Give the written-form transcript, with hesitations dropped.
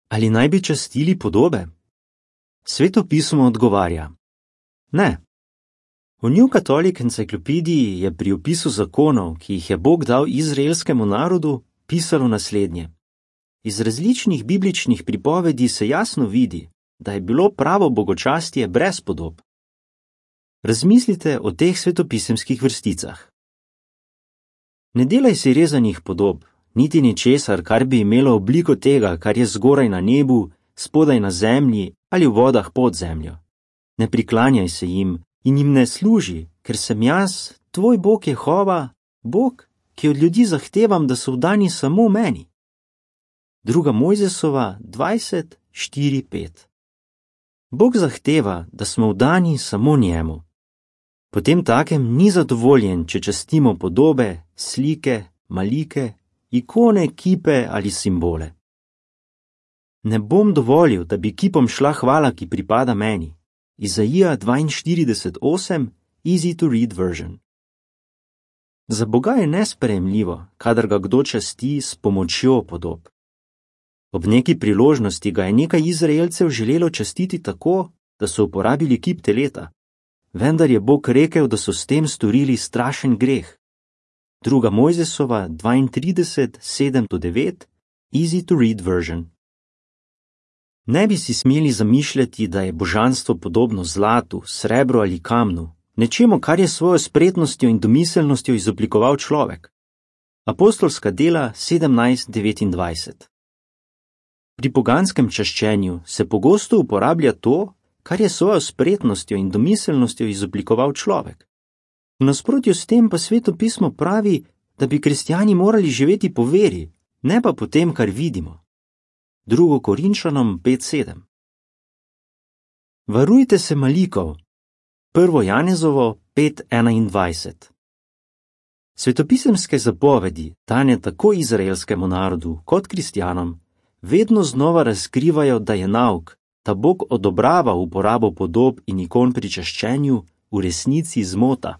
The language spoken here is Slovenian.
Ali naj bi častili podobe? Sveto pismo odgovarja: ne. V New Catholic Encyclopediji je pri opisu zakonov, ki jih je Bog dal izraelskemu narodu, pisalo naslednje. Iz različnih bibličnih pripovedi se jasno vidi, da je bilo pravo bogočastje brez podob. Razmislite o teh svetopisemskih vrsticah. Ne delaj si rezanih podob, niti ničesar, kar bi imelo obliko tega, kar je zgoraj na nebu, spodaj na zemlji ali v vodah pod zemljo. Ne priklanjaj se jim in jim ne služi, ker sem jaz, tvoj Bog Jehova, Bog, ki od ljudi zahtevam, da so vdani samo meni. 2. Mojzesova 20:4-5. Bog zahteva, da smo vdani samo njemu. Potem takem ni zadovoljen, če častimo podobe, slike, malike, ikone, kipe ali simbole. Ne bom dovolil, da bi kipom šla hvala, ki pripada meni. Izaija 42:8, easy to read version. Za Boga je nesprejemljivo, kadar ga kdo časti s pomočjo podob. Ob neki priložnosti ga je nekaj Izraelcev želelo častiti tako, da so uporabili kip teleta. Vendar je Bog rekel, da so s tem storili strašen greh. 2. Mojzesova 32:7-9, easy to read version. Ne bi si smeli zamišljati, da je božanstvo podobno zlatu, srebru ali kamnu, nečemu, kar je svojo spretnostjo in domiselnostjo izoblikoval človek. Apostolska dela 17:29. Pri poganskem čaščenju se pogosto uporablja to, kar je svojo spretnostjo in domiselnostjo izoblikoval človek. V nasprotju s tem pa Sveto pismo pravi, da bi kristjani morali živeti po veri, ne pa po tem, kar vidimo. 2. Korinčanom 5:7. Varujte se malikov. 1. Janezovo 5:21. Svetopisemske zapovedi, dane tako izraelskemu narodu kot kristjanom, vedno znova razkrivajo, da je nauk, da Bog odobrava uporabo podob in ikon pri čaščenju, v resnici zmota.